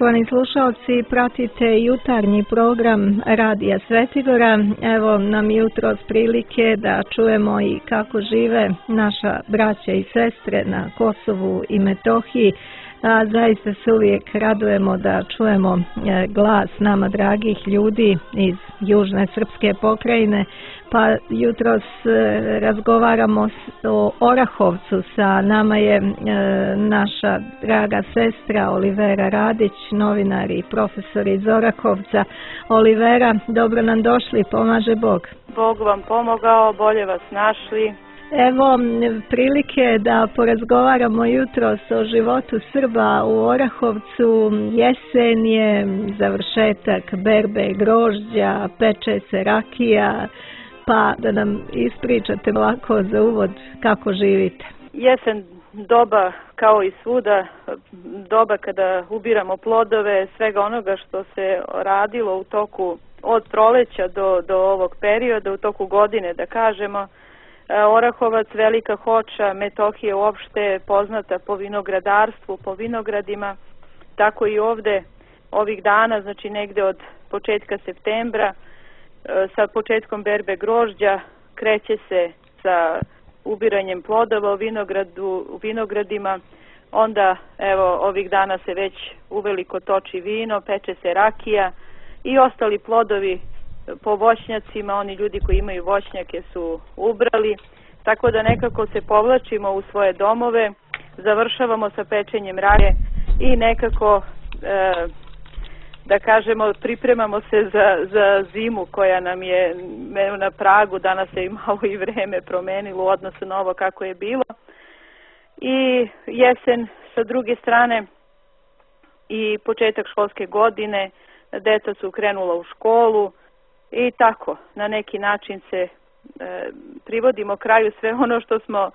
Poštovani slušalci, pratite jutarnji program Radija Svetigora. Evo nam jutros prilike da čujemo i kako žive naša braća i sestre na Kosovu i Metohiji. A zaista se uvijek radujemo da čujemo glas nama dragih ljudi iz južne srpske pokrajine. Pa jutros razgovaramo o Orahovcu. Sa nama je naša draga sestra Olivera Radić, novinar i profesor iz Orahovca. Olivera, dobro nam došli, pomaže Bog. Bog vam pomogao, bolje vas našli. Evo prilike da porazgovaramo jutros o životu Srba u Orahovcu. Jesen je, završetak berbe grožđa, peče se rakija, pa da nam ispričate lako za uvod kako živite. Jesen doba kao i svuda, doba kada ubiramo plodove svega onoga što se radilo u toku od proleća do ovog perioda, u toku godine da kažemo. Orahovac, Velika Hoča, Metohija uopšte poznata po vinogradarstvu, po vinogradima, tako i ovde ovih dana, znači negde od početka septembra, sa početkom berbe grožđa kreće se sa ubiranjem plodova u vinogradima, onda evo ovih dana se već uveliko toči vino, peče se rakija i ostali plodovi po voćnjacima, oni ljudi koji imaju voćnjake su ubrali, tako da nekako se povlačimo u svoje domove, završavamo sa pečenjem rakije i nekako da kažemo pripremamo se za zimu koja nam je na pragu. Danas se i malo i vreme promenilo u odnosu na ovo kako je bilo i jesen sa druge strane i početak školske godine, deca su krenula u školu i tako na neki način se privodimo kraju sve ono što smo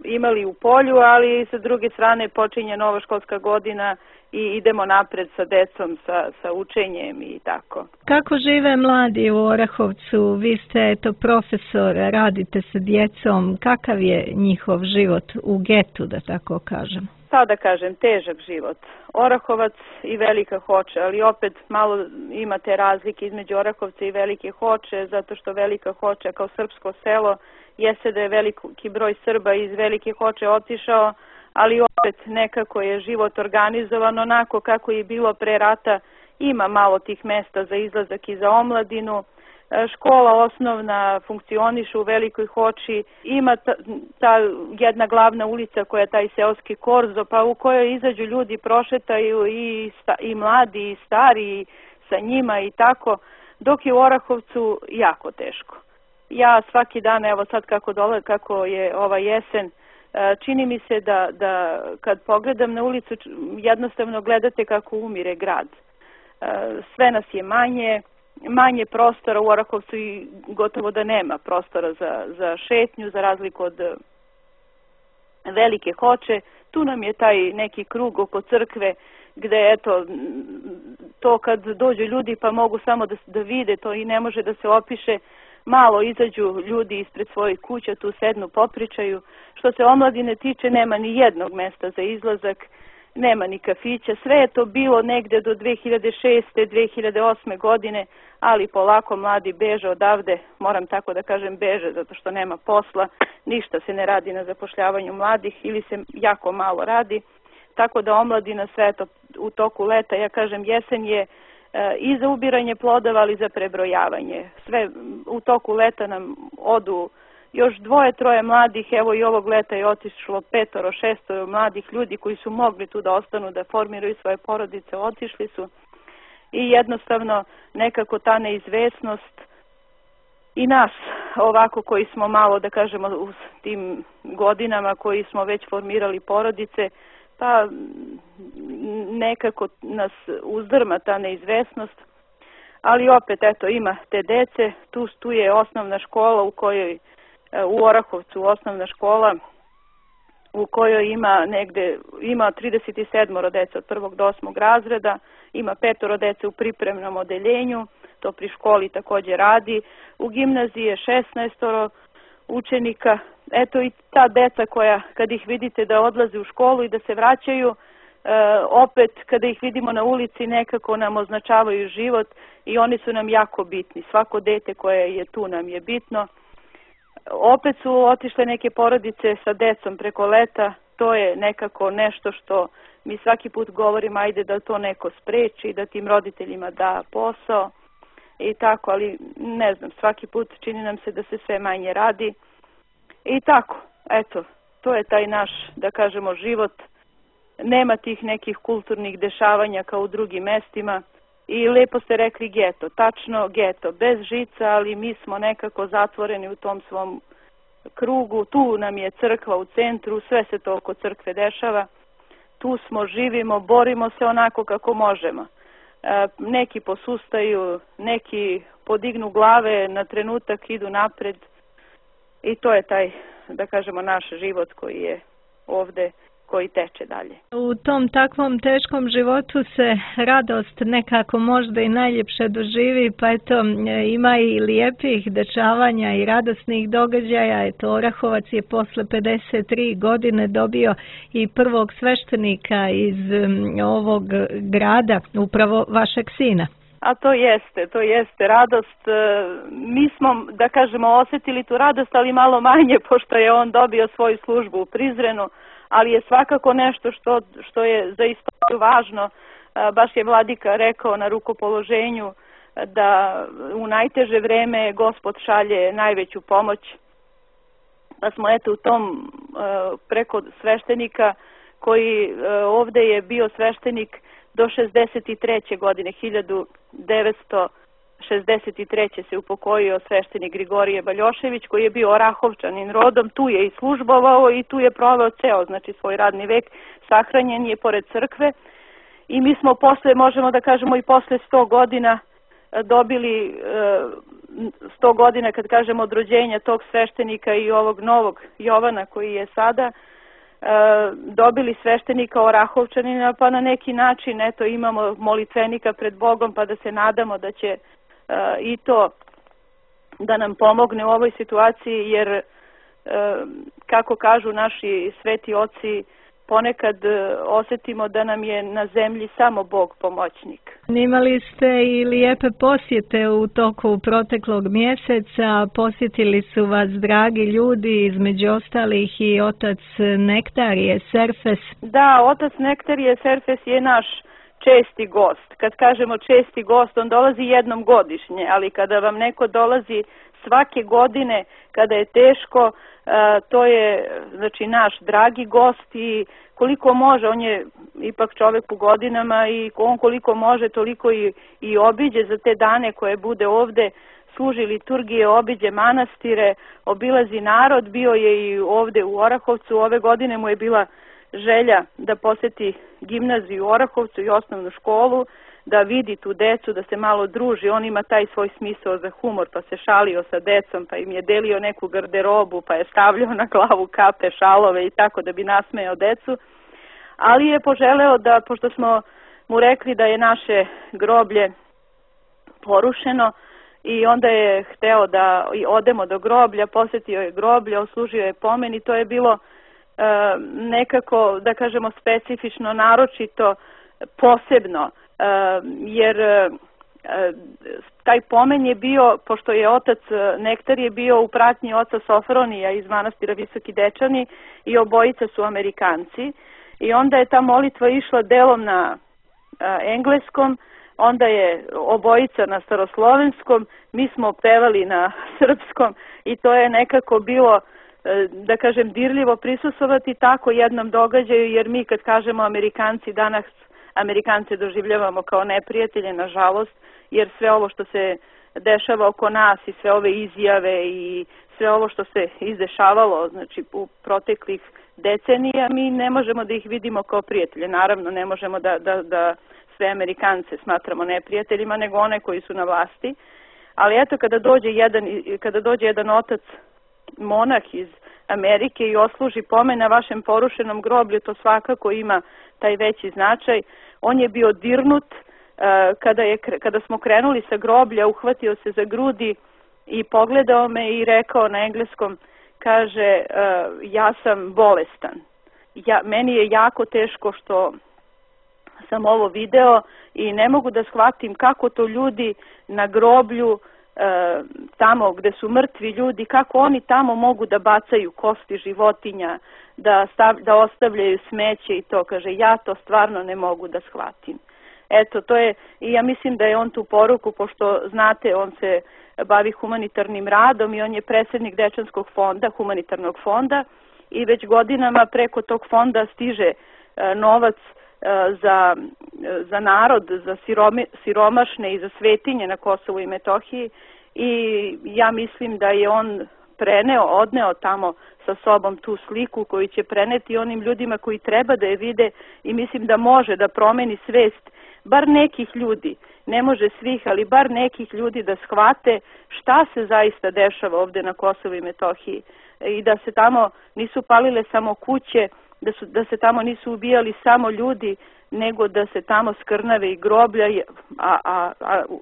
imali u polju, ali sa druge strane počinje nova školska godina i idemo napred sa decom, sa učenjem i tako. Kako žive mladi u Orahovcu? Vi ste profesor, radite sa djecom. Kakav je njihov život u getu, da tako kažem? Šta da kažem, težak život. Orahovac i Velika Hoča, ali opet malo imate razlike između Orahovca i Velike Hoče, zato što Velika Hoča kao srpsko selo jeste da je veliki broj Srba iz Velike Hoče otišao, ali opet nekako je život organizovan onako kako je bilo pre rata. Ima malo tih mesta za izlazak i za omladinu. Škola osnovna funkcioniše u Velikoj Hoči. Ima ta jedna glavna ulica koja je taj seoski korzo, pa u kojoj izađu ljudi, prošetaju i mladi i stari sa njima i tako, dok je u Orahovcu jako teško. Ja svaki dan, evo sad kako je ova jesen, čini mi se da kad pogledam na ulicu jednostavno gledate kako umire grad. Sve nas je manje prostora u Orahovcu i gotovo da nema prostora za šetnju, za razliku od Velike Hoče. Tu nam je taj neki krug oko crkve gde eto to kad dođu ljudi pa mogu samo da vide to i ne može da se opiše. Malo izađu ljudi ispred svojih kuća, tu sednu, popričaju. Što se omladine tiče, nema ni jednog mesta za izlazak, nema ni kafića. Sve je to bilo negde do 2006. 2008. godine, ali polako mladi beže odavde, moram tako da kažem beže, zato što nema posla, ništa se ne radi na zapošljavanju mladih ili se jako malo radi. Tako da omladina sve to u toku leta, ja kažem jesen je i za ubiranje plodova, ali za prebrojavanje. Sve u toku leta nam odu još 2-3 mladih, evo i ovog leta je otišlo 5-6 mladih ljudi koji su mogli tu da ostanu, da formiraju svoje porodice, otišli su i jednostavno nekako ta neizvesnost i nas ovako koji smo malo da kažemo u tim godinama koji smo već formirali porodice, pa nekako nas uzdrma ta neizvesnost, ali opet eto ima te dece, tu je osnovna škola u Orahovcu osnovna škola u kojoj ima 37 dece od 1. do 8. razreda, ima 5 dece u pripremnom odeljenju, to pri školi također radi, u gimnaziji je 16 učenika. Eto i ta deca koja kad ih vidite da odlaze u školu i da se vraćaju, opet kada ih vidimo na ulici nekako nam označavaju život i oni su nam jako bitni. Svako dete koje je tu nam je bitno. Opet su otišle neke porodice sa decom preko leta, to je nekako nešto što mi svaki put govorimo, ajde da to neko spreči, da tim roditeljima da posao i tako, ali ne znam, svaki put čini nam se da se sve manje radi i tako, eto, to je taj naš, da kažemo, život. Nema tih nekih kulturnih dešavanja kao u drugim mestima i lepo ste rekli geto, tačno geto, bez žica, ali mi smo nekako zatvoreni u tom svom krugu, tu nam je crkva u centru, sve se to oko crkve dešava, tu smo, živimo, borimo se onako kako možemo. Neki posustaju, neki podignu glave, na trenutak idu napred i to je taj, da kažemo, naš život koji je ovde, koji teče dalje. U tom takvom teškom životu se radost nekako možda i najljepše doživi, pa eto ima i lijepih dešavanja i radosnih događaja. Eto, Orahovac je posle 53 godine dobio i prvog sveštenika iz ovog grada, upravo vašeg sina. A to jeste radost. Mi smo, da kažemo, osjetili tu radost, ali malo manje, pošto je on dobio svoju službu u Prizrenu, ali je svakako nešto što je za istoriju važno. Baš je vladika rekao na rukopoloženju da u najteže vreme Gospod šalje najveću pomoć. Pa smo eto u tom preko sveštenika koji ovde je bio sveštenik do 63. godine, 1963. se upokojio sveštenik Grigorije Baljošević, koji je bio Orahovčanin rodom, tu je i službovao i tu je proveo ceo, znači svoj radni vek, sahranjen je pored crkve i mi smo posle, možemo da kažemo i posle 100 godina dobili 100 godina, kad kažemo, od rođenja tog sveštenika i ovog novog Jovana koji je sada, dobili sveštenika Orahovčanina, pa na neki način eto imamo molitvenika pred Bogom, pa da se nadamo da će i to da nam pomogne u ovoj situaciji, jer kako kažu naši sveti oci, ponekad osjetimo da nam je na zemlji samo Bog pomoćnik. Imali ste i lijepe posjete u toku proteklog mjeseca, posjetili su vas dragi ljudi, između ostalih i otac Nektarije Serfes. Da, otac Nektarije Serfes je naš česti gost. Kad kažemo česti gost, on dolazi jednom godišnje, ali kada vam neko dolazi svake godine, kada je teško, to je, znači, naš dragi gost i koliko može, on je ipak čovjek u godinama i on koliko može toliko i obiđe za te dane koje bude ovde, služi liturgije, obiđe manastire, obilazi narod, bio je i ovde u Orahovcu, ove godine mu je bila želja da poseti gimnaziju u Orahovcu i osnovnu školu, da vidi tu decu, da se malo druži. On ima taj svoj smisao za humor, pa se šalio sa decom, pa im je delio neku garderobu, pa je stavljao na glavu kape, šalove i tako da bi nasmejao decu. Ali je poželeo da, pošto smo mu rekli da je naše groblje porušeno, i onda je hteo da odemo do groblja, posjetio je groblje, oslužio je pomen i to je bilo nekako, da kažemo, specifično, naročito, posebno, jer taj pomen je bio, pošto je otac Nektar je bio u pratnji oca Sofronija iz manastira Visoki Dečani i obojica su Amerikanci i onda je ta molitva išla delom na engleskom, onda je obojica na staroslovenskom, mi smo pevali na srpskom i to je nekako bilo, da kažem, dirljivo prisustvovati tako jednom događaju, jer mi kad kažemo Amerikanci, danas Amerikance doživljavamo kao neprijatelje, nažalost, jer sve ovo što se dešava oko nas i sve ove izjave i sve ovo što se izdešavalo, znači u proteklih decenija, mi ne možemo da ih vidimo kao prijatelje. Naravno, ne možemo da sve Amerikance smatramo neprijateljima, nego one koji su na vlasti. Ali eto, kada dođe jedan otac monah iz Amerike i osluži pomen na vašem porušenom groblju, to svakako ima taj veći značaj. On je bio dirnut kada smo krenuli sa groblja, uhvatio se za grudi i pogledao me i rekao na engleskom, kaže, ja sam bolestan. Meni je jako teško što sam ovo video i ne mogu da shvatim kako to ljudi na groblju, tamo gde su mrtvi ljudi, kako oni tamo mogu da bacaju kosti životinja, da ostavljaju smeće i to. Kaže, ja to stvarno ne mogu da shvatim. Eto, to je, i ja mislim da je on tu poruku, pošto znate, on se bavi humanitarnim radom i on je predsjednik Dečanskog fonda, humanitarnog fonda, i već godinama preko tog fonda stiže novac za narod, za siromašne i za svetinje na Kosovu i Metohiji, i ja mislim da je on odneo tamo sa sobom tu sliku koju će preneti onim ljudima koji treba da je vide, i mislim da može da promeni svest bar nekih ljudi, ne može svih, ali bar nekih ljudi da shvate šta se zaista dešava ovde na Kosovu i Metohiji, i da se tamo nisu palile samo kuće, da se tamo nisu ubijali samo ljudi, nego da se tamo skrnave i groblja, a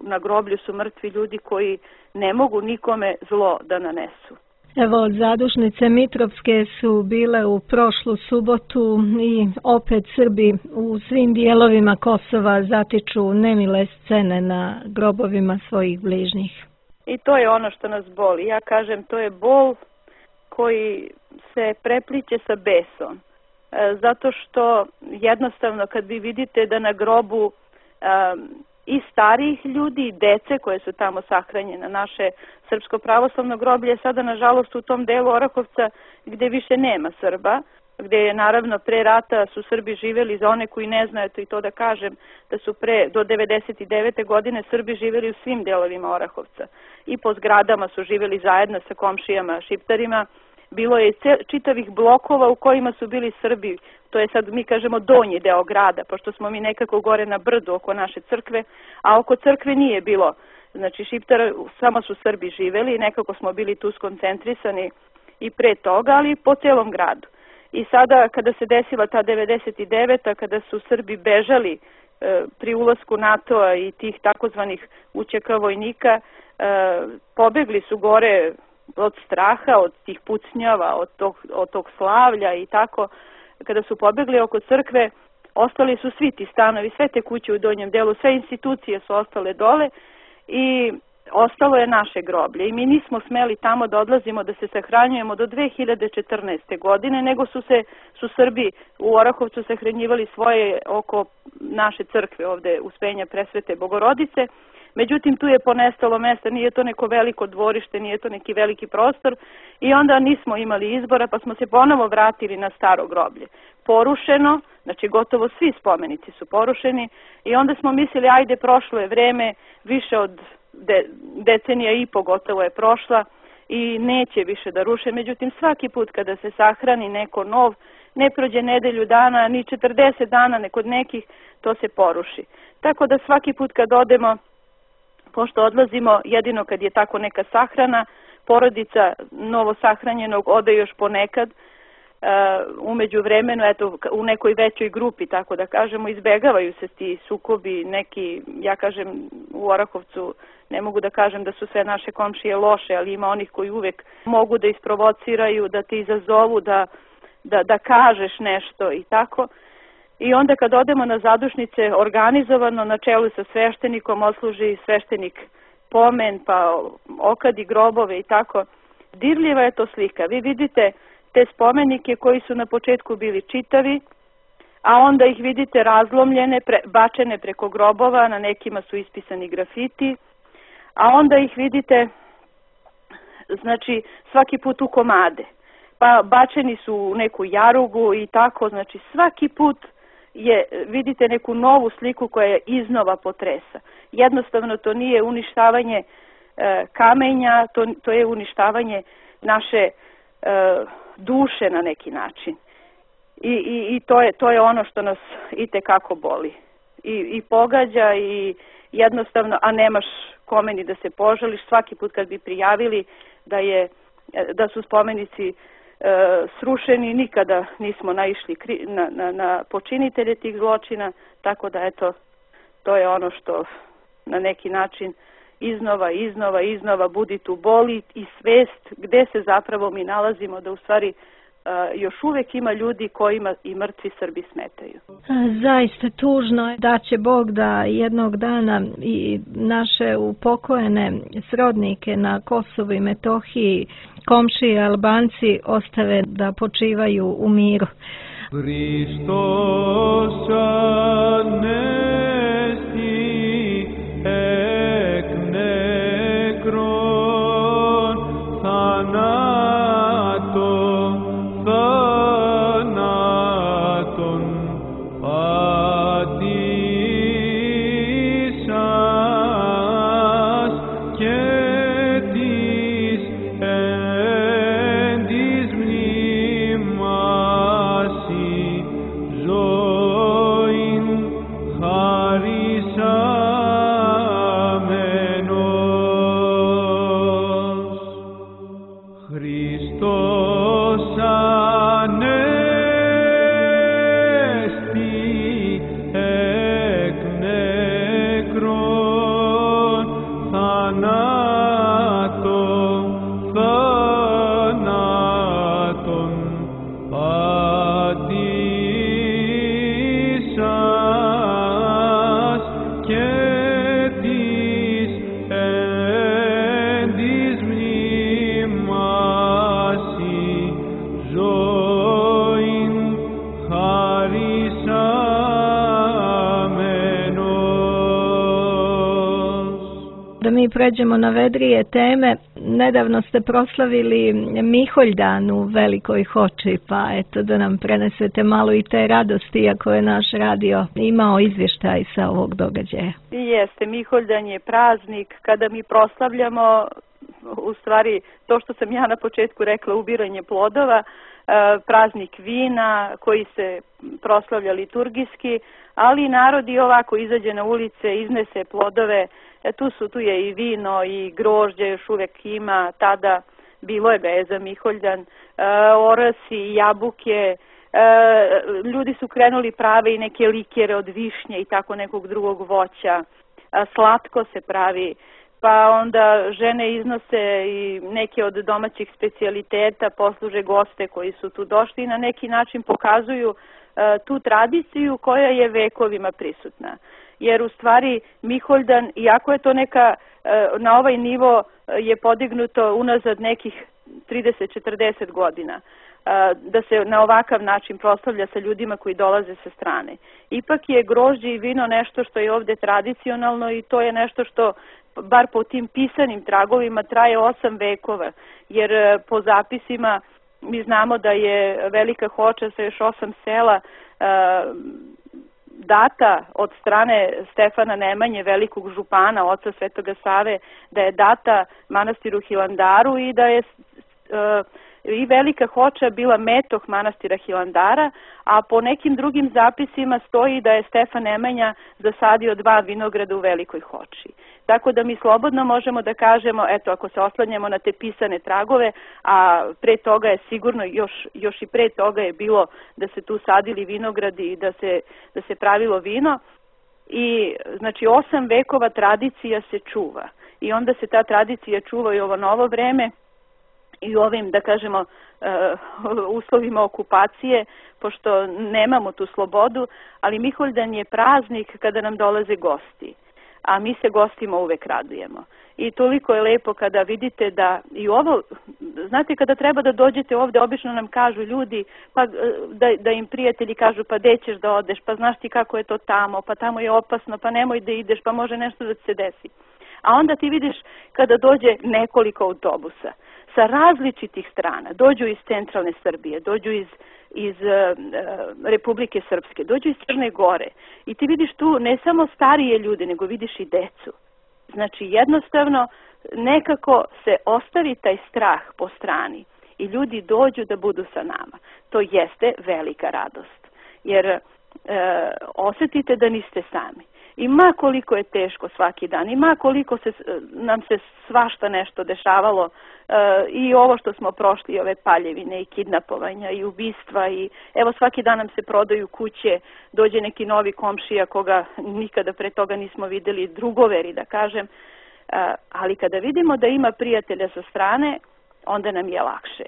na groblju su mrtvi ljudi koji ne mogu nikome zlo da nanesu. Evo, zadušnice Mitrovske su bile u prošlu subotu i opet Srbi u svim dijelovima Kosova zatiču nemile scene na grobovima svojih bližnjih. I to je ono što nas boli. Ja kažem, to je bol koji se prepliče sa besom. Zato što jednostavno kad vi vidite da na grobu i starijih ljudi i dece koje su tamo sahranjene, naše srpsko pravoslavno groblje sada nažalost u tom delu Orahovca gde više nema Srba, gde je naravno pre rata su Srbi živjeli, za one koji ne znaju, i to da kažem, da su do 99. godine Srbi živjeli u svim delovima Orahovca i po zgradama su živjeli zajedno sa komšijama Šiptarima. Bilo je čitavih blokova u kojima su bili Srbi, to je sad mi kažemo donji deo grada, pošto smo mi nekako gore na brdu oko naše crkve, a oko crkve nije bilo, znači Šiptara, samo su Srbi živeli i nekako smo bili tu skoncentrisani i pre toga, ali po celom gradu. I sada kada se desila ta 99. kada su Srbi bežali pri ulasku NATO-a i tih takozvanih UČK vojnika, pobegli su gore od straha, od tih pucnjava, od tog slavlja i tako. Kada su pobegli oko crkve, ostali su svi ti stanovi, sve te kuće u donjem delu, sve institucije su ostale dole i ostalo je naše groblje. I mi nismo smeli tamo da odlazimo, da se sahranjujemo do 2014. godine, nego su Srbi u Orahovcu sahranjivali svoje oko naše crkve ovde Uspenja Presvete Bogorodice. Međutim, tu je ponestalo mesta, nije to neko veliko dvorište, nije to neki veliki prostor, i onda nismo imali izbora, pa smo se ponovo vratili na staro groblje. Porušeno, znači gotovo svi spomenici su porušeni, i onda smo mislili, ajde, prošlo je vreme, više od decenija i po gotovo je prošla i neće više da ruše. Međutim, svaki put kada se sahrani neko nov, ne prođe nedelju dana, ni 40 dana kod nekih, to se poruši. Tako da svaki put kad odemo, pošto odlazimo jedino kad je tako neka sahrana, porodica novo sahranjenog ode još ponekad, umeđu vremenu, eto, u nekoj većoj grupi, tako da kažemo, izbegavaju se ti sukobi, neki, ja kažem, u Orahovcu, ne mogu da kažem da su sve naše komšije loše, ali ima onih koji uvek mogu da isprovociraju, da te izazovu, da kažeš nešto i tako. I onda kad odemo na zadušnice, organizovano na čelu sa sveštenikom odsluži sveštenik pomen, pa okadi grobove i tako. Dirljiva je to slika. Vi vidite te spomenike koji su na početku bili čitavi, a onda ih vidite razlomljene, bačene preko grobova, na nekima su ispisani grafiti, a onda ih vidite, znači, svaki put u komade. Pa bačeni su u neku jarugu i tako, znači svaki put vidite neku novu sliku koja je iznova potresa. Jednostavno to nije uništavanje kamenja, to je uništavanje naše duše na neki način. I to je ono što nas itekako boli. I pogađa i jednostavno, a nemaš kome ni da se požališ. Svaki put kad bi prijavili da su spomenici srušeni, nikada nismo naišli na počinitelje tih zločina, tako da eto, to je ono što na neki način iznova budi tu boli i svest gde se zapravo mi nalazimo, da u stvari još uvek ima ljudi kojima i mrtvi Srbi smetaju. Zaista tužno je da će Bog da jednog dana i naše upokojene srodnike na Kosovu i Metohiji, komšije Albanci, ostave da počivaju u miru. Hristos anesti ek nekron thanaton patisas και της εν της μνήμασι ζωήν χαρισάμενος. Χριστός ανέστη εκ νεκρών θανάτων πατήσας και της εν της μνήμασι ζωήν χαρισάμενος. Da mi pređemo na vedrije teme, nedavno ste proslavili Miholjdan u Velikoj Hoči, pa eto da nam prenesete malo i te radosti, iako je naš radio imao izvještaj sa ovog događaja. Jeste, Miholjdan je praznik kada mi proslavljamo, u stvari to što sam ja na početku rekla, ubiranje plodova, praznik vina koji se proslavlja liturgijski, ali narod i ovako izađe na ulice, iznese plodove. Tu je i vino i grožđe, još uvek ima, tada bilo je ga je za Miholjdan, orasi, jabuke, ljudi su krenuli prave i neke likere od višnje i tako nekog drugog voća, slatko se pravi, pa onda žene iznose i neke od domaćih specijaliteta, posluže goste koji su tu došli i na neki način pokazuju tu tradiciju koja je vekovima prisutna. Jer u stvari Miholjdan, iako je to neka, na ovaj nivo je podignuto unazad nekih 30-40 godina, da se na ovakav način proslavlja sa ljudima koji dolaze sa strane. Ipak je grožđe i vino nešto što je ovde tradicionalno i to je nešto što, bar po tim pisanim tragovima, traje 8 vekova, jer po zapisima mi znamo da je Velika Hoča sa još 8 sela data od strane Stefana Nemanje, velikog župana, oca Svetoga Save, da je data manastiru Hilandaru i da je i Velika Hoča bila metoh manastira Hilandara, a po nekim drugim zapisima stoji da je Stefan Nemanja zasadio 2 vinograda u Velikoj Hoči. Tako da mi slobodno možemo da kažemo, eto, ako se oslanjamo na te pisane tragove, a pre toga je sigurno, još i pre toga je bilo da se tu sadili vinogradi i da se pravilo vino. I znači 8 vekova tradicija se čuva i onda se ta tradicija čuva i ovo novo vreme i u ovim, da kažemo, uslovima okupacije, pošto nemamo tu slobodu, ali Miholjdan je praznik kada nam dolaze gosti, a mi se gostima uvek radujemo. I toliko je lepo kada vidite da i ovo, znate, kada treba da dođete ovde, obično nam kažu ljudi, pa da im prijatelji kažu, pa gde ćeš da odeš, pa znaš ti kako je to tamo, pa tamo je opasno, pa nemoj da ideš, pa može nešto da se desi. A onda ti vidiš kada dođe nekoliko autobusa sa različitih strana, dođu iz centralne Srbije, dođu iz Republike Srpske, dođu iz Crne Gore i ti vidiš tu ne samo starije ljude, nego vidiš i decu. Znači jednostavno nekako se ostavi taj strah po strani i ljudi dođu da budu sa nama. To jeste velika radost, jer osetite da niste sami. I ma koliko je teško svaki dan, i ma koliko nam se svašta nešto dešavalo, i ovo što smo prošli, ove paljevine i kidnapovanja i ubistva, i evo svaki dan nam se prodaju kuće, dođe neki novi komšija koga nikada pre toga nismo videli, drugoveri da kažem, ali kada vidimo da ima prijatelja sa strane, onda nam je lakše.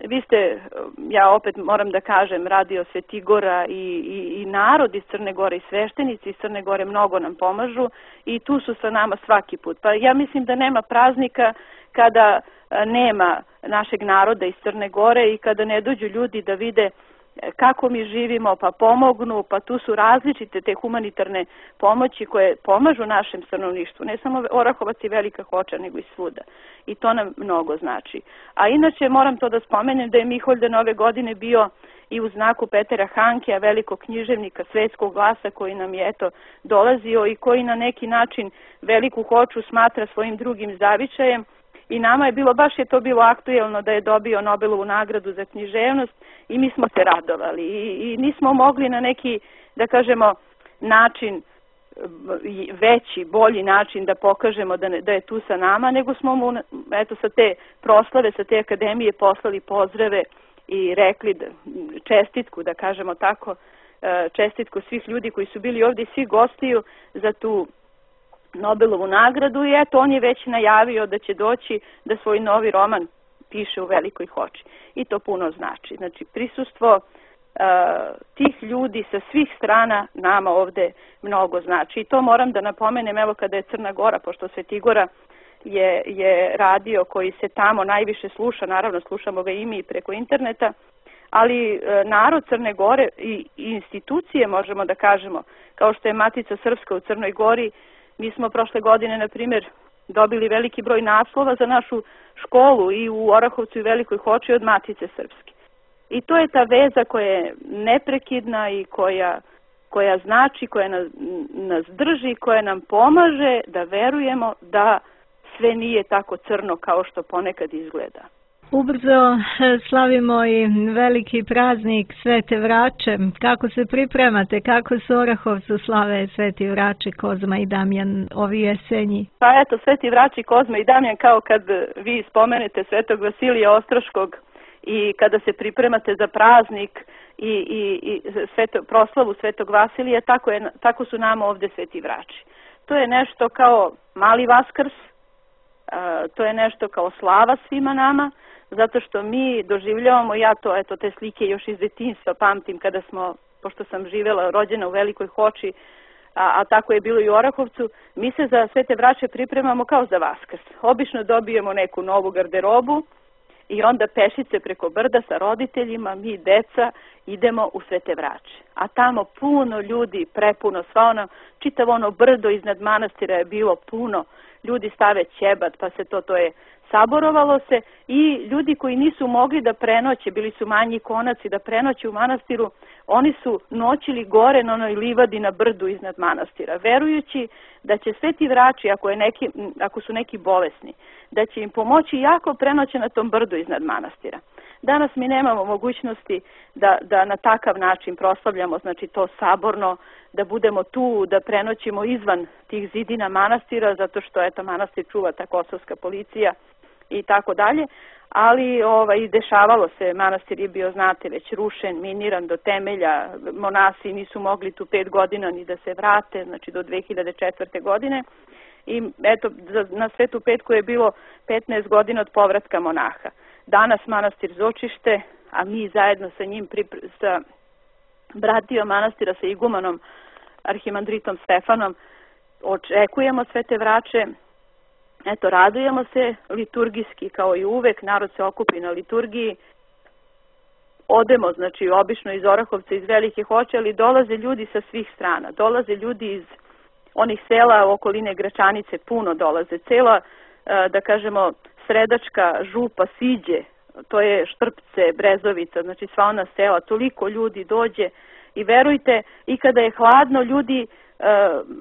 Vi ste, ja opet moram da kažem, Radio Svetigora i narod iz Crne Gore i sveštenici iz Crne Gore mnogo nam pomažu i tu su sa nama svaki put. Pa ja mislim da nema praznika kada nema našeg naroda iz Crne Gore i kada ne dođu ljudi da vide kako mi živimo, pa pomognu, pa tu su različite te humanitarne pomoći koje pomažu našem stanovništvu, ne samo Orahovac i Velika Hoča, nego i svuda. I to nam mnogo znači. A inače moram to da spomenem da je Miholjdan ove godine bio i u znaku Petera Hankea, velikog književnika svetskog glasa koji nam je dolazio i koji na neki način Veliku Hoču smatra svojim drugim zavičajem. I nama je baš je to bilo aktuelno da je dobio Nobelovu nagradu za književnost i mi smo se radovali i nismo mogli na neki, da kažemo, način, veći, bolji način da pokažemo da je tu sa nama, nego smo mu, sa te proslave, sa te akademije poslali pozdrave i rekli čestitku, da kažemo tako, čestitku svih ljudi koji su bili ovdje, svi gostiju za tu Nobelovu nagradu i on je već najavio da će doći da svoj novi roman piše u Velikoj Hoči. I to puno znači. Znači, prisustvo tih ljudi sa svih strana nama ovde mnogo znači. I to moram da napomenem, evo kada je Crna Gora, pošto Svetigora je radio koji se tamo najviše sluša, naravno slušamo ga i mi preko interneta, ali narod Crne Gore i institucije, možemo da kažemo, kao što je Matica Srpska u Crnoj Gori, mi smo prošle godine, na primjer, dobili veliki broj naslova za našu školu i u Orahovcu i Velikoj Hoči od Matice Srpske. I to je ta veza koja je neprekidna i koja znači, koja nas drži, koja nam pomaže da verujemo da sve nije tako crno kao što ponekad izgleda. Ubrzo slavimo i veliki praznik Svete Vrače. Kako se pripremate? Kako se Orahovcu slave Sveti Vrači, Kozma i Damjan ovi jesenji? Pa eto, Sveti Vrači, Kozma i Damjan, kao kad vi spomenete Svetog Vasilija Ostroškog i kada se pripremate za praznik i proslavu Svetog Vasilija, tako su nama ovdje Sveti Vrači. To je nešto kao mali Vaskrs, to je nešto kao slava svima nama, zato što mi doživljavamo, ja to, eto, te slike još iz detinjstva pamtim kada smo, pošto sam živjela, rođena u Velikoj Hoči, a tako je bilo i u Orahovcu, mi se za Svete Vrače pripremamo kao za Vaskrs. Obično dobijemo neku novu garderobu i onda pešice preko brda sa roditeljima, mi deca, idemo u Svete Vrače. A tamo puno ljudi, prepuno, čitavo ono brdo iznad manastira je bilo puno, ljudi stave ćebat, pa se to je saborovalo se i ljudi koji nisu mogli da prenoće, bili su manji konaci da prenoće u manastiru, oni su noćili gore na onoj livadi na brdu iznad manastira, verujući da će Sveti Vrači, ako su neki bolesni, da će im pomoći jako prenoće na tom brdu iznad manastira. Danas mi nemamo mogućnosti da na takav način proslavljamo, znači to saborno, da budemo tu, da prenoćimo izvan tih zidina manastira, zato što eto manastir čuva ta kosovska policija i tako dalje, ali dešavalo se, manastir je bio, znate, već rušen, miniran do temelja, monasi nisu mogli tu 5 godina ni da se vrate, znači do 2004. godine i eto na Svetu Petku je bilo 15 godina od povratka monaha. Danas manastir Zočište, a mi zajedno sa njim, sa bratijom manastira, sa igumanom arhimandritom Stefanom, očekujemo Svete Vrače. Eto, radujemo se liturgijski kao i uvek, narod se okupi na liturgiji. Odemo, znači, obično iz Orahovca, iz Velike Hoče, ali dolaze ljudi sa svih strana. Dolaze ljudi iz onih sela okoline Gračanice, puno dolaze. Cela, da kažemo, Sredačka, Župa, Siđe, to je Štrpce, Brezovica, znači sva ona sela, toliko ljudi dođe i verujte, i kada je hladno, ljudi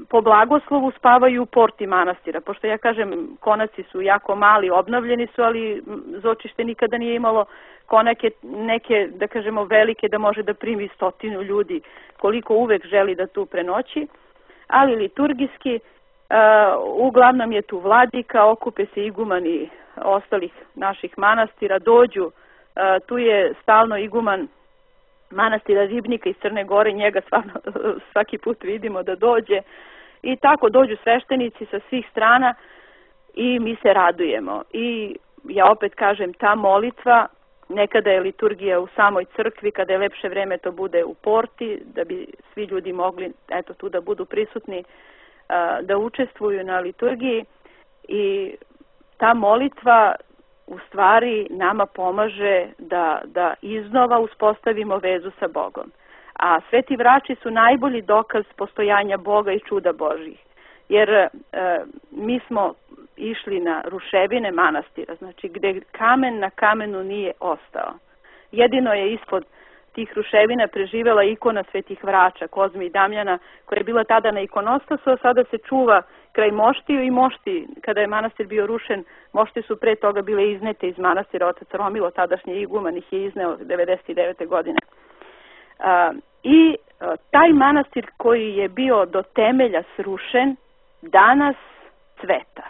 po blagoslovu spavaju u porti manastira, pošto ja kažem, konaci su jako mali, obnovljeni su, ali Zočište nikada nije imalo konake neke, da kažemo, velike, da može da primi 100 ljudi, koliko uvek želi da tu prenoći, ali liturgijski, uglavnom je tu vladika, okupe se igumani ostalih naših manastira, dođu, tu je stalno iguman manastira Ribnika iz Crne Gore, njega svaki put vidimo da dođe i tako dođu sveštenici sa svih strana i mi se radujemo. I ja opet kažem, ta molitva, nekada je liturgija u samoj crkvi, kada je lepše vreme to bude u porti, da bi svi ljudi mogli tu da budu prisutni, da učestvuju na liturgiji, i ta molitva u stvari nama pomaže da iznova uspostavimo vezu sa Bogom. A sveti vrači su najbolji dokaz postojanja Boga i čuda Božjih. Jer mi smo išli na ruševine manastira, znači gde kamen na kamenu nije ostao. Jedino je ispod tih ruševina preživela ikona svetih vrača, Kozme i Damjana, koja je bila tada na ikonostasu, a sada se čuva kraj Moštiju, i Mošti, kada je manastir bio rušen, Mošti su pre toga bile iznete iz manastira. Otac Romilo, tadašnji iguman, ih je izneo 99. godine. I taj manastir koji je bio do temelja srušen, danas cveta.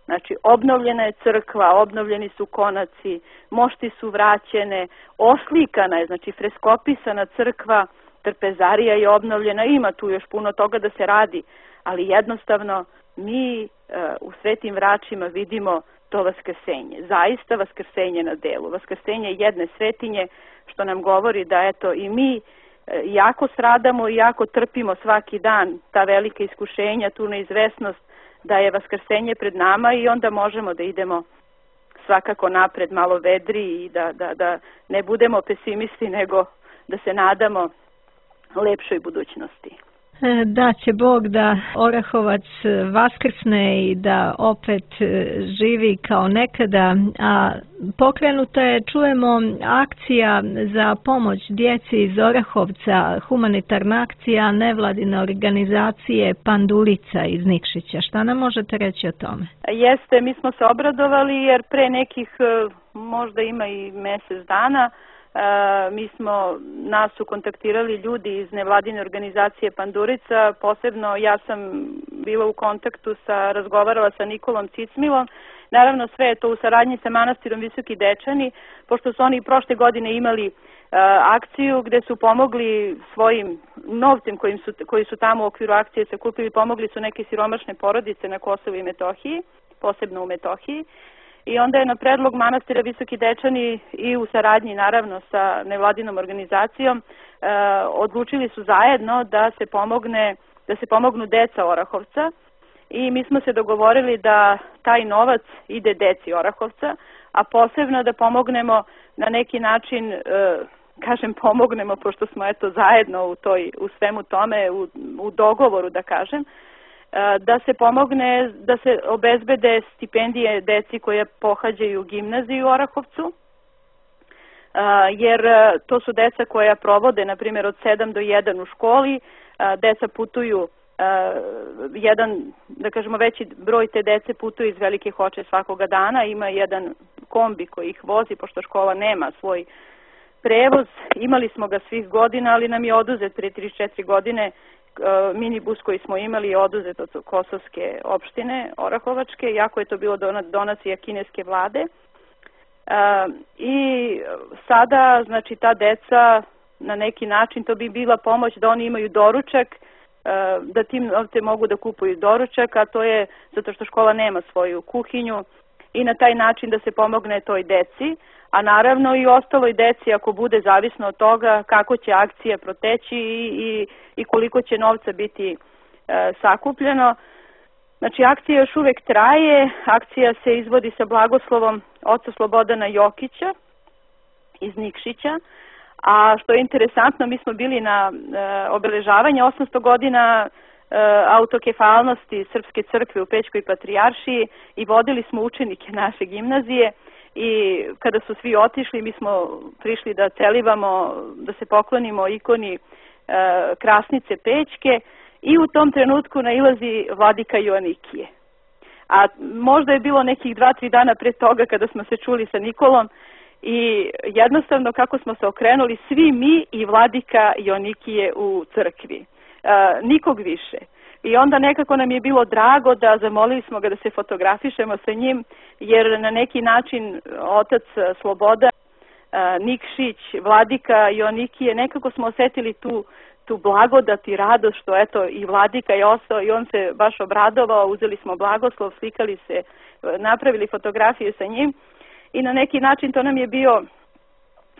Znači, obnovljena je crkva, obnovljeni su konaci, mošti su vraćene, oslikana je, znači freskopisana crkva, trpezarija je obnovljena, ima tu još puno toga da se radi, ali jednostavno mi u Svetim vračima vidimo to vaskrsenje, zaista vaskrsenje na delu, vaskrsenje jedne svetinje, što nam govori da eto i mi jako stradamo i jako trpimo svaki dan ta velika iskušenja, tu neizvesnost, da je vaskrsenje pred nama, i onda možemo da idemo svakako napred, malo vedri, i da ne budemo pesimisti, nego da se nadamo lepšoj budućnosti. Da će Bog da Orahovac vaskrsne i da opet živi kao nekada, a pokrenuta je, čujemo, akcija za pomoć djeci iz Orahovca, humanitarna akcija nevladine organizacije Pandulica iz Nikšića. Šta nam možete reći o tome? Jeste, mi smo se obradovali jer pre nekih, možda ima i mjesec dana, nas su kontaktirali ljudi iz nevladine organizacije Pandurica, posebno ja sam bila u kontaktu razgovarala sa Nikolom Cicmilom. Naravno, sve je to u saradnji sa manastirom Visoki Dečani, pošto su oni prošle godine imali akciju gde su pomogli svojim novcem koji su tamo u okviru akcije sakupili, pomogli su neke siromašne porodice na Kosovu i Metohiji, posebno u Metohiji. I onda je na predlog manastira Visoki Dečani i u saradnji naravno sa nevladinom organizacijom odlučili su zajedno da se pomognu deca Orahovca, i mi smo se dogovorili da taj novac ide deci Orahovca, a posebno da pomognemo na neki način, kažem pomognemo pošto smo zajedno u svemu tome, u dogovoru da kažem, da se pomogne, da se obezbede stipendije deci koje pohađaju gimnaziju u Orahovcu, jer to su deca koja provode, na primjer, od 7 do 1 u školi, deca putuju, da kažemo veći broj te dece putuje iz Velike Hoče svakoga dana, ima jedan kombi koji ih vozi, pošto škola nema svoj prevoz, imali smo ga svih godina, ali nam je oduzet pre 34 godine, minibus koji smo imali je oduzet od Kosovske opštine Orahovačke, iako je to bilo donacija kineske vlade. I sada, znači, ta deca na neki način, to bi bila pomoć da oni imaju doručak, da tim novce mogu da kupuju doručak, a to je zato što škola nema svoju kuhinju, i na taj način da se pomogne toj deci, a naravno i ostaloj deci ako bude, zavisno od toga kako će akcija proteći i koliko će novca biti sakupljeno. Znači, akcija još uvek traje, akcija se izvodi sa blagoslovom oca Slobodana Jokića iz Nikšića, a što je interesantno, mi smo bili na obeležavanje 800 godina autokefalnosti Srpske crkve u Pećkoj patrijaršiji i vodili smo učenike naše gimnazije, i kada su svi otišli mi smo prišli da celivamo, da se poklonimo ikoni Krasnice Pećke, i u tom trenutku nailazi vladika Joanikije. A možda je bilo nekih 2-3 dana pre toga kada smo se čuli sa Nikolom, i jednostavno kako smo se okrenuli svi mi i vladika Joanikije u crkvi, nikog više. I onda nekako nam je bilo drago da zamolili smo ga da se fotografišemo sa njim, jer na neki način otac Sloboda, Nikšić, vladika Joanikije, nekako smo osetili tu blagodat i radost što eto i vladika je ostao, i on se baš obradovao, uzeli smo blagoslov, slikali se, napravili fotografiju sa njim. i na neki način to nam je bio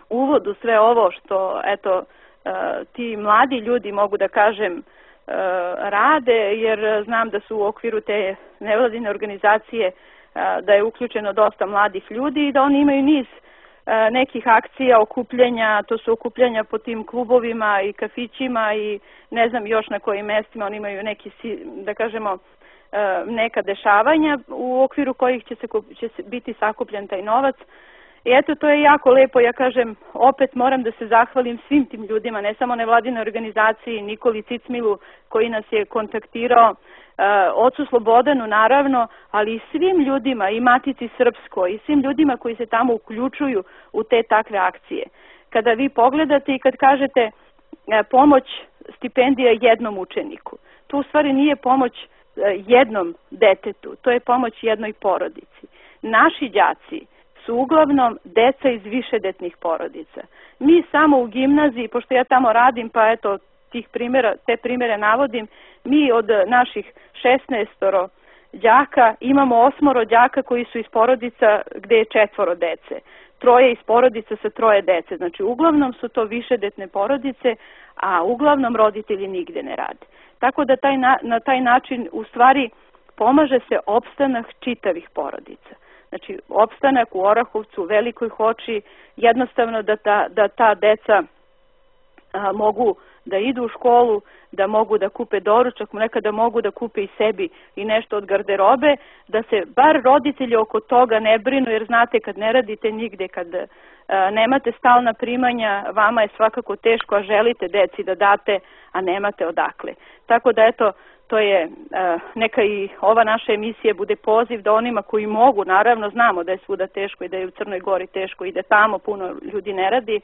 uvod u sve ovo što ti mladi ljudi, mogu da kažem, rade, jer znam da su u okviru te nevladine organizacije da je uključeno dosta mladih ljudi i da oni imaju niz nekih akcija, okupljanja, to su okupljanja po tim klubovima i kafićima i ne znam još na kojim mestima oni imaju neki, da kažemo, neka dešavanja u okviru kojih će biti sakupljen taj novac. I eto, to je jako lepo, ja kažem, opet moram da se zahvalim svim tim ljudima, ne samo nevladinoj organizaciji, Nikoli Cicmilu koji nas je kontaktirao, ocu Slobodanu naravno, ali i svim ljudima, i Matici Srpskoj, i svim ljudima koji se tamo uključuju u te takve akcije. Kada vi pogledate i kad kažete pomoć stipendija jednom učeniku, to u stvari nije pomoć jednom detetu, to je pomoć jednoj porodici. Naši đaci su uglavnom deca iz višedetnih porodica. Mi samo u gimnaziji, pošto ja tamo radim, pa eto, te primere navodim, mi od naših 16 đaka imamo 8 đaka koji su iz porodica gde je 4 dece. 3 iz porodica sa 3 dece. Znači, uglavnom su to višedetne porodice, a uglavnom roditelji nigde ne rade. Tako da na taj način u stvari pomaže se opstanak čitavih porodica. Znači, opstanak u Orahovcu, u Velikoj Hoči, jednostavno da ta deca mogu da idu u školu, da mogu da kupe doručak, nekada mogu da kupe i sebi i nešto od garderobe, da se bar roditelji oko toga ne brinu, jer znate, kad ne radite nigde, kad nemate stalna primanja, vama je svakako teško, a želite deci da date, a nemate odakle. Tako da, eto, to je, neka i ova naša emisija bude poziv da onima koji mogu, naravno znamo da je svuda teško i da je u Crnoj Gori teško i da tamo puno ljudi ne radi,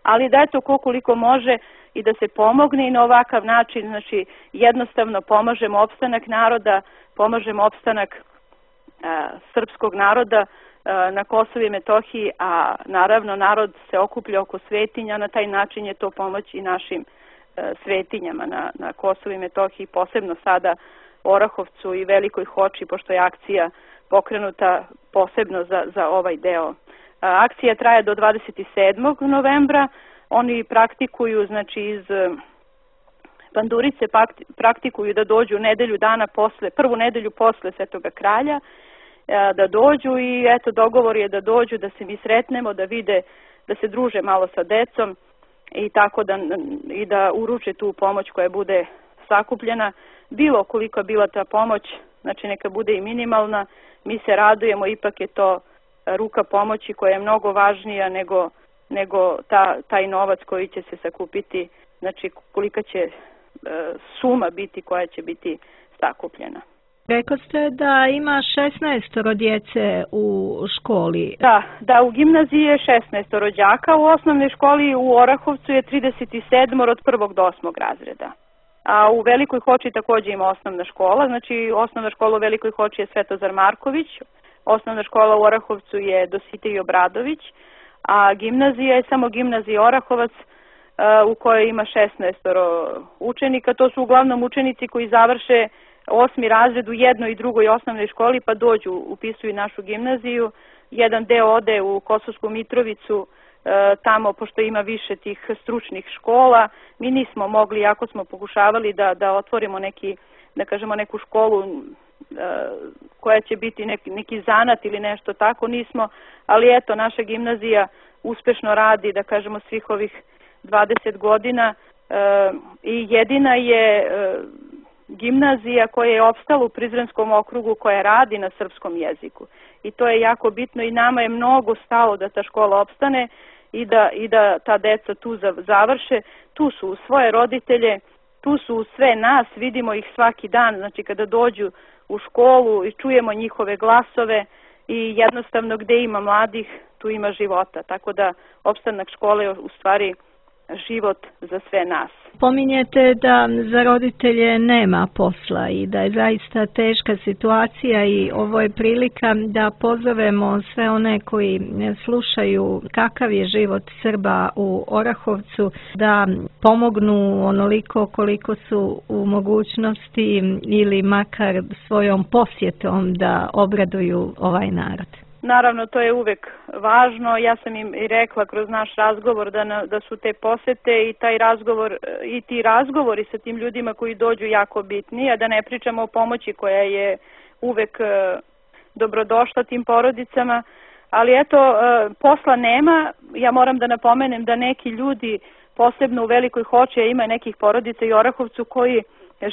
ali da eto koliko može i da se pomogne i na ovakav način, znači jednostavno pomažemo opstanak naroda, pomažemo opstanak srpskog naroda na Kosovu i Metohiji, a naravno narod se okuplja oko svetinja, na taj način je to pomoć i našim svetinjama na Kosovu i Metohiji, posebno sada Orahovcu i Velikoj Hoči, pošto je akcija pokrenuta posebno za ovaj deo. Akcija traje do 27. novembra, oni praktikuju, znači iz Bandurice praktikuju da dođu prvu nedelju posle Svetoga Kralja, da dođu i eto dogovor je da dođu, da se mi sretnemo, da vide, da se druže malo sa decom i tako da uruče tu pomoć koja bude sakupljena. Bilo koliko je bila ta pomoć, znači neka bude i minimalna, mi se radujemo, ipak je to ruka pomoći koja je mnogo važnija nego taj novac koji će se sakupiti, znači kolika će suma biti koja će biti sakupljena. Rekao ste da ima 16 djece u školi. Da, u gimnaziji je 16 đaka, u osnovnoj školi u Orahovcu je 37 od 1. do 8. razreda. A u Velikoj Hoči takođe ima osnovna škola, znači osnovna škola u Velikoj Hoči je Svetozar Marković, osnovna škola u Orahovcu je Dositej Obradović, a gimnazija je samo gimnazija Orahovac u kojoj ima 16 učenika. To su uglavnom učenici koji završe 8. razred u jednoj i drugoj osnovnoj školi pa dođu, upisuju našu gimnaziju. Jedan deo ode u Kosovsku Mitrovicu, tamo pošto ima više tih stručnih škola. Mi nismo mogli, jako smo pokušavali da otvorimo neku školu koja će biti neki zanat ili nešto tako, nismo, ali eto, naša gimnazija uspešno radi, da kažemo, svih ovih 20 godina i jedina je gimnazija koja je opstala u Prizrenskom okrugu koja radi na srpskom jeziku. I to je jako bitno i nama je mnogo stalo da ta škola opstane i da ta deca tu završe. Tu su uz svoje roditelje, tu su uz sve nas, vidimo ih svaki dan, znači kada dođu u školu i čujemo njihove glasove i jednostavno gde ima mladih, tu ima života. Tako da opstanak škole je u stvari život za sve nas. Pominjete da za roditelje nema posla i da je zaista teška situacija i ovo je prilika da pozovemo sve one koji slušaju kakav je život Srba u Orahovcu, da pomognu onoliko koliko su u mogućnosti ili makar svojom posjetom da obraduju ovaj narod. naravno to je uvek važno. Ja sam im i rekla kroz naš razgovor da su te posete i taj razgovor i ti razgovori sa tim ljudima koji dođu jako bitni, a da ne pričamo o pomoći koja je uvek dobrodošla tim porodicama. Ali eto, posla nema. Ja moram da napomenem da neki ljudi, posebno u Velikoj Hoči, ima nekih porodica i Orahovcu koji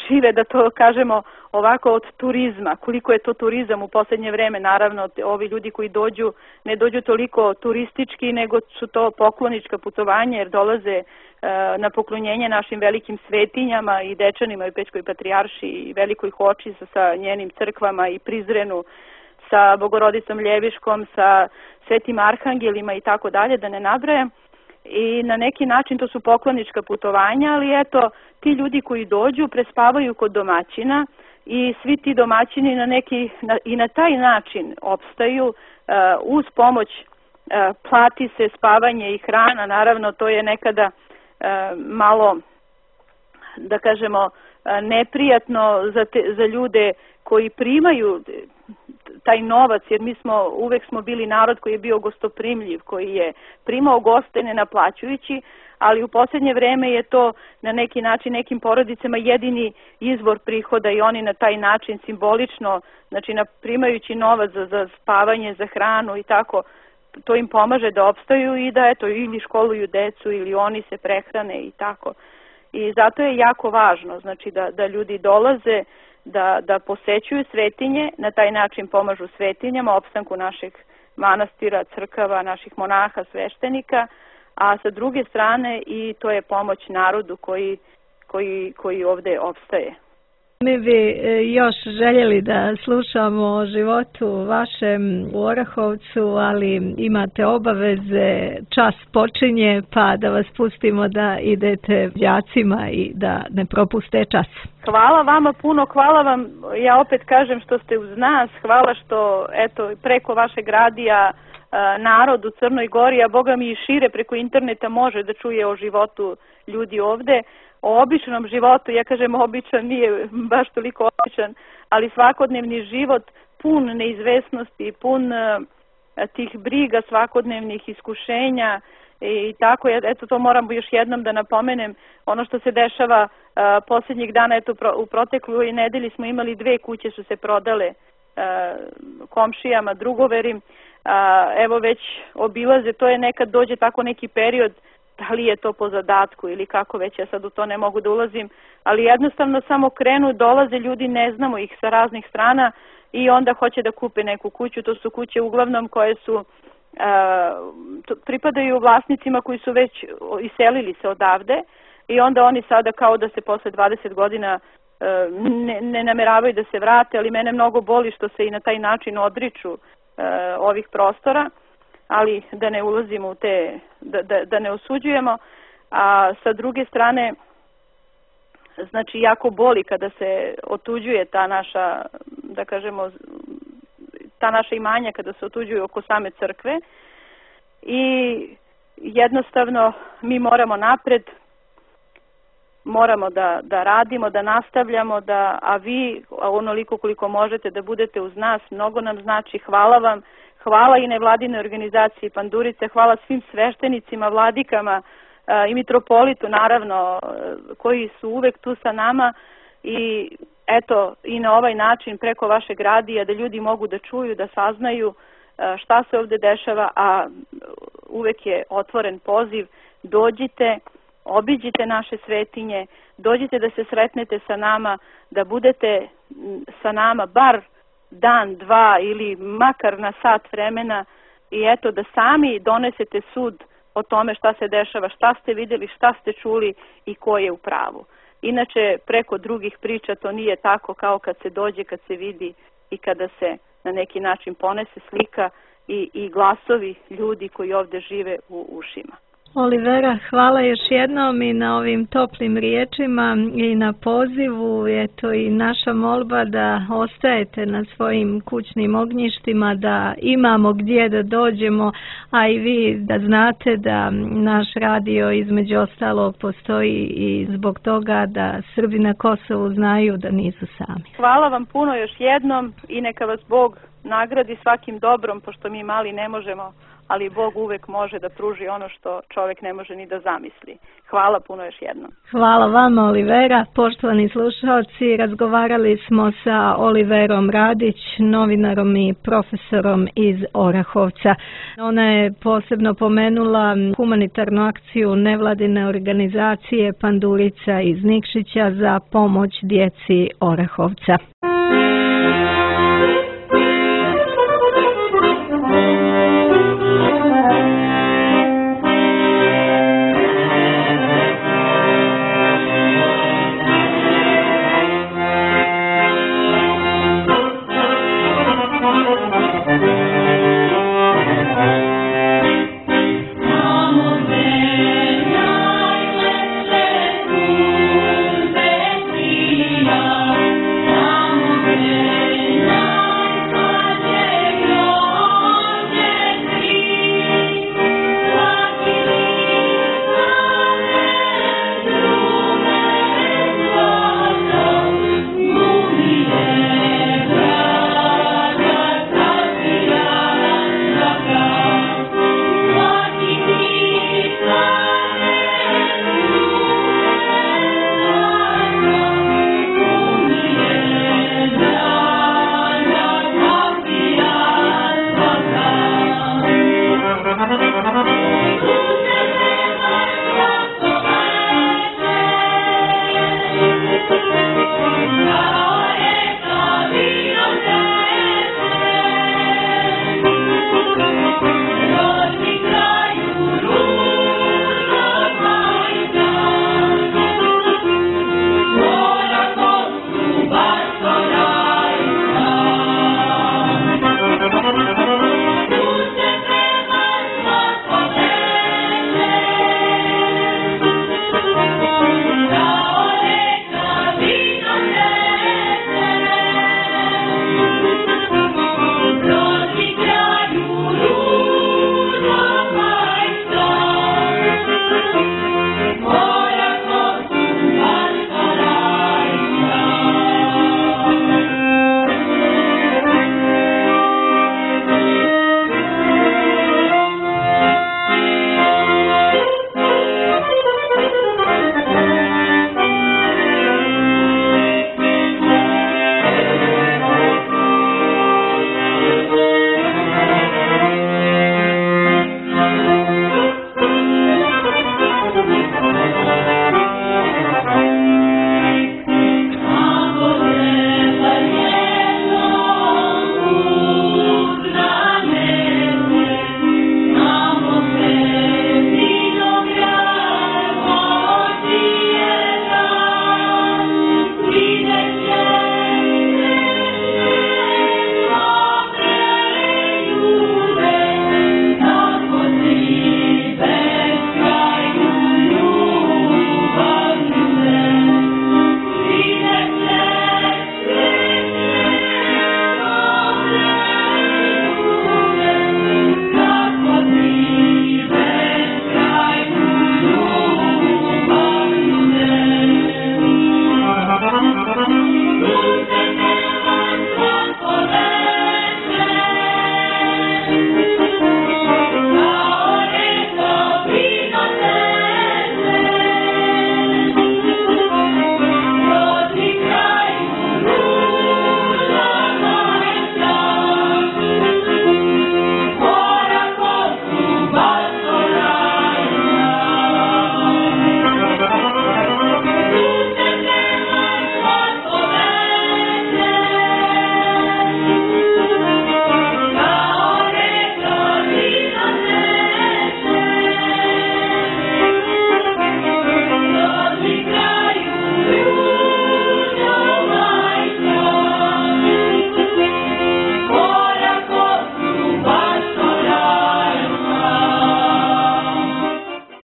žive, da to kažemo ovako, od turizma. Koliko je to turizam u posljednje vreme, naravno, ovi ljudi koji dođu, ne dođu toliko turistički, nego su to poklonička putovanja, jer dolaze na poklonjenje našim velikim svetinjama i Dečanima i Pećkoj patrijarši i Velikoj Hoči sa njenim crkvama i Prizrenu, sa Bogorodicom Ljeviškom, sa Svetim Arhangelima i tako dalje, da ne nabrajam. I na neki način to su poklonička putovanja, ali eto, ti ljudi koji dođu prespavaju kod domaćina i svi ti domaćini i na taj način opstaju. Uz pomoć plati se spavanje i hrana, naravno to je nekada malo, da kažemo, neprijatno za ljude koji primaju taj novac, jer uvek smo bili narod koji je bio gostoprimljiv, koji je primao goste ne naplaćujući, ali u posljednje vreme je to na neki način nekim porodicama jedini izvor prihoda i oni na taj način simbolično, znači primajući novac za spavanje, za hranu i tako, to im pomaže da opstaju i da eto ili školuju decu ili oni se prehrane i tako. I zato je jako važno, znači da ljudi dolaze, da posećuju svetinje, na taj način pomažu svetinjama, opstanku naših manastira, crkava, naših monaha, sveštenika, a sa druge strane i to je pomoć narodu koji ovde opstaje. Mi bi još željeli da slušamo o životu vašem u Orahovcu, ali imate obaveze, čas počinje, pa da vas pustimo da idete đacima i da ne propuste čas. Hvala vama puno, hvala vam, ja opet kažem što ste uz nas, hvala što eto preko vašeg radija narod u Crnoj Gori, a Boga mi i šire preko interneta može da čuje o životu ljudi ovde. O običnom životu, ja kažem običan, nije baš toliko običan, ali svakodnevni život pun neizvesnosti, pun tih briga, svakodnevnih iskušenja i tako. Eto, to moram još jednom da napomenem. Ono što se dešava posljednjih dana, eto u protekloj nedelji smo imali 2 kuće su se prodale komšijama, drugoverim. Evo već obilaze, to je nekad dođe tako neki period, da li je to po zadatku ili kako već, ja sad u to ne mogu da ulazim, ali jednostavno samo krenu, dolaze ljudi, ne znamo ih sa raznih strana i onda hoće da kupe neku kuću. To su kuće uglavnom koje su pripadaju vlasnicima koji su već iselili se odavde i onda oni sada kao da se posle 20 godina ne nameravaju da se vrate, ali mene mnogo boli što se i na taj način odriču ovih prostora, ali da ne ulazimo u te, da ne osuđujemo. A sa druge strane, znači jako boli kada se otuđuje ta naša, da kažemo, ta naša imanja kada se otuđuju oko same crkve i jednostavno mi moramo napred, moramo da radimo, da nastavljamo, a vi onoliko koliko možete da budete uz nas, mnogo nam znači. Hvala vam, hvala i nevladinoj organizaciji Pandurice, hvala svim sveštenicima, vladikama i mitropolitu naravno, koji su uvek tu sa nama i eto i na ovaj način preko vašeg radija da ljudi mogu da čuju, da saznaju šta se ovde dešava, a uvek je otvoren poziv, dođite, obiđite naše svetinje, dođite da se sretnete sa nama, da budete sa nama bar dan, dva ili makar na sat vremena i eto da sami donesete sud o tome šta se dešava, šta ste vidjeli, šta ste čuli i ko je u pravu. Inače, preko drugih priča to nije tako kao kad se dođe, kad se vidi i kada se na neki način ponese slika i glasovi ljudi koji ovde žive u ušima. Olivera, hvala još jednom i na ovim toplim riječima i na pozivu. Eto i naša molba da ostajete na svojim kućnim ognjištima, da imamo gdje da dođemo, a i vi da znate da naš radio između ostalog postoji i zbog toga da Srbi na Kosovu znaju da nisu sami. Hvala vam puno još jednom i neka vas Bog nagradi svakim dobrom, pošto mi mali ne možemo, ali Bog uvek može da pruži ono što čovjek ne može ni da zamisli. Hvala puno još jednom. Hvala vama, Olivera. Poštovani slušalci, razgovarali smo sa Oliverom Radić, novinarom i profesorom iz Orahovca. Ona je posebno pomenula humanitarnu akciju nevladine organizacije Pandurica iz Nikšića za pomoć djeci Orahovca.